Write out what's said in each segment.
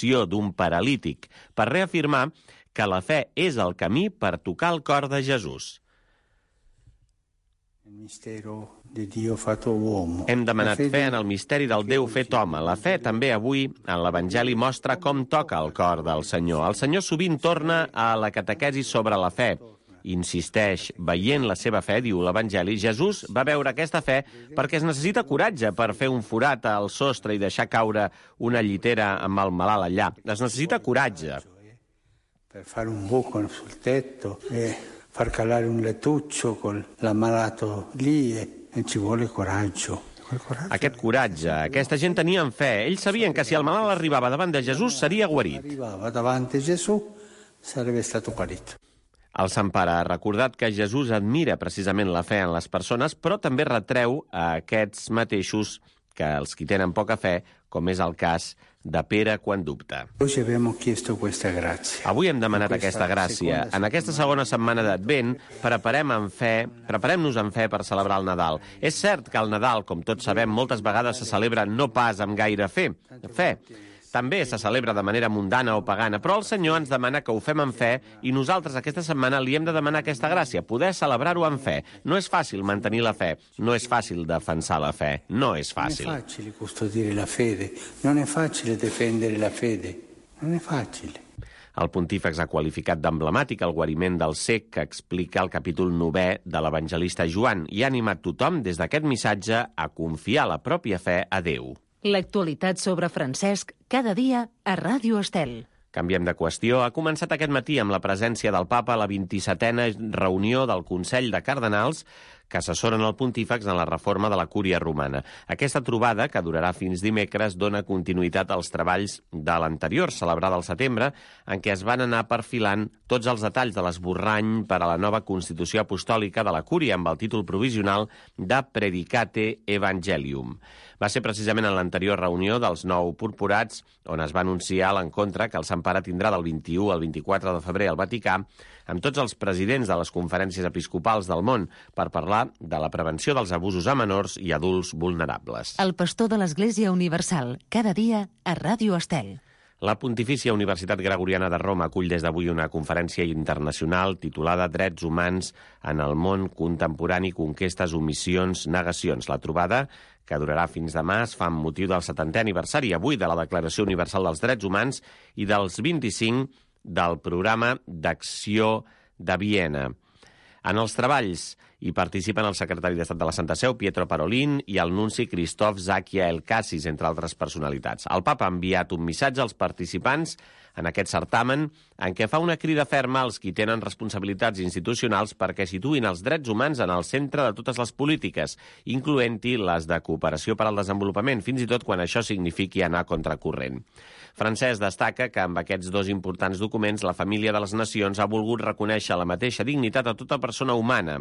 benedicció d'un paralític, per reafirmar que la fe és el camí per tocar el cor de Jesús. Hem demanat fe en el misteri del Déu fet home. La fe també avui en l'Evangeli mostra com toca el cor del Senyor. El Senyor sovint torna a la catequesi sobre la fe. Insisteix, veient la seva fe, diu l'Evangeli, Jesús va veure aquesta fe perquè es necessita coratge per fer un forat al sostre i deixar caure una llitera amb el malalt allà. Es necessita coratge. Per fare un buco sul tetto e far calare un lettuccio con l'ammalato lì e ci vuole coraggio. Aquest coratge, aquesta gent tenien fe. Ells sabien que si el malalt arribava davant de Jesús seria guarit. Arribava davanti a Gesù, sarebbe stato guarito. El Sant Pare ha recordat que Jesús admira precisament la fe en les persones, però també retreu a aquests mateixos que els qui tenen poca fe, com és el cas de Pere quan dubta. Avui hem demanat aquesta gràcia. En aquesta segona setmana d'Advent preparem-nos en fe per celebrar el Nadal. És cert que el Nadal, com tots sabem, moltes vegades se celebra no pas amb gaire fe. També se celebra de manera mundana o pagana, però el Senyor ens demana que ho fem amb fe i nosaltres aquesta setmana li hem de demanar aquesta gràcia, poder celebrar-ho amb fe. No és fàcil mantenir la fe, no és fàcil defensar la fe, no és fàcil. Non è facile custodire la fede, non è facile difendere la fede, non è facile. El pontífex ha qualificat d'emblemàtic el guariment del cec que explica el capítol 9è de l'evangelista Joan i ha animat tothom des d'aquest missatge a confiar la pròpia fe a Déu. L'actualitat sobre Francesc, cada dia a Ràdio Estel. Canviem de qüestió. Ha començat aquest matí amb la presència del papa a la 27a reunió del Consell de Cardenals que assessoren el pontífex en la reforma de la Cúria Romana. Aquesta trobada, que durarà fins dimecres, dona continuïtat als treballs de l'anterior, celebrada al setembre, en què es van anar perfilant tots els detalls de l'esborrany per a la nova Constitució Apostòlica de la Cúria amb el títol provisional de Predicate Evangelium. Va ser precisament en l'anterior reunió dels 9 purpurats on es va anunciar l'encontre que el Sant Pare tindrà del 21 al 24 de febrer al Vaticà amb tots els presidents de les conferències episcopals del món per parlar de la prevenció dels abusos a menors i adults vulnerables. El pastor de l'Església Universal, cada dia a Ràdio Estel. La Pontifícia Universitat Gregoriana de Roma acull des d'avui una conferència internacional titulada Drets humans en el món contemporani, conquestes, omissions, negacions. La trobada, que durarà fins demà, es fa amb motiu del 70è aniversari avui de la Declaració Universal dels Drets Humans i dels 25 del Programa d'Acció de Viena. En els treballs hi participen el secretari d'Estat de la Santa Seu, Pietro Parolin, i el nunci Christoph Zakia Elkassis, entre altres personalitats. El papa ha enviat un missatge als participants en aquest certamen en què fa una crida ferma als qui tenen responsabilitats institucionals perquè situïn els drets humans en el centre de totes les polítiques, incloent-hi les de cooperació per al desenvolupament, fins i tot quan això signifiqui anar contracorrent. Francesc destaca que amb aquests 2 importants documents la família de les nacions ha volgut reconèixer la mateixa dignitat a tota persona humana.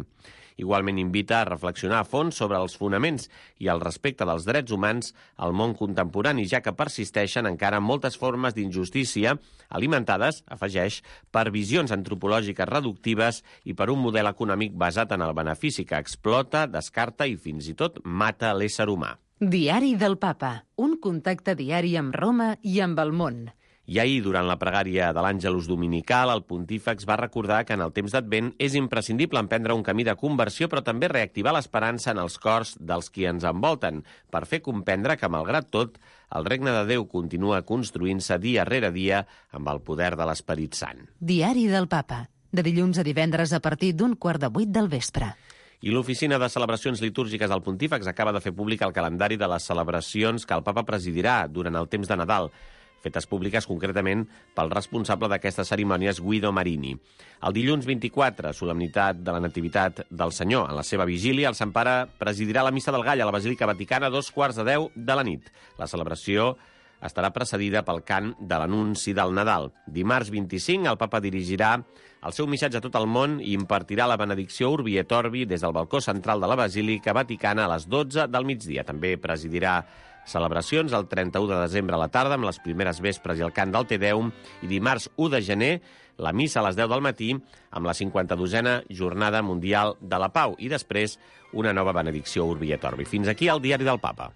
Igualment invita a reflexionar a fons sobre els fonaments i el respecte dels drets humans al món contemporani, ja que persisteixen encara moltes formes d'injustícia alimentades, afegeix, per visions antropològiques reductives i per un model econòmic basat en el benefici que explota, descarta i fins i tot mata l'ésser humà. Diari del Papa, un contacte diari amb Roma i amb el món. I ahir, durant la pregària de l'Àngelus Dominical, el pontífex va recordar que en el temps d'Advent és imprescindible emprendre un camí de conversió, però també reactivar l'esperança en els cors dels qui ens envolten, per fer comprendre que, malgrat tot, el regne de Déu continua construint-se dia rere dia amb el poder de l'Esperit Sant. Diari del Papa, de dilluns a divendres a partir d'7:15 del vespre. I l'Oficina de Celebracions Litúrgiques del Pontífex acaba de fer públic el calendari de les celebracions que el papa presidirà durant el temps de Nadal, fetes públiques concretament pel responsable d'aquestes cerimònies, Guido Marini. El dilluns 24, solemnitat de la Nativitat del Senyor. En la seva vigília, el Sant Pare presidirà la Missa del Gall a la Basílica Vaticana a 2:15 de la nit. La celebració estarà precedida pel cant de l'anunci del Nadal. Dimarts 25, el papa dirigirà el seu missatge a tot el món i impartirà la benedicció Urbi et Orbi des del balcó central de la Basílica Vaticana a les 12 del migdia. També presidirà celebracions el 31 de desembre a la tarda amb les primeres vespres i el cant del Te Deum i dimarts 1 de gener la missa a les 10 del matí amb la 52a Jornada Mundial de la Pau i després una nova benedicció Urbi et Orbi. Fins aquí el Diari del Papa.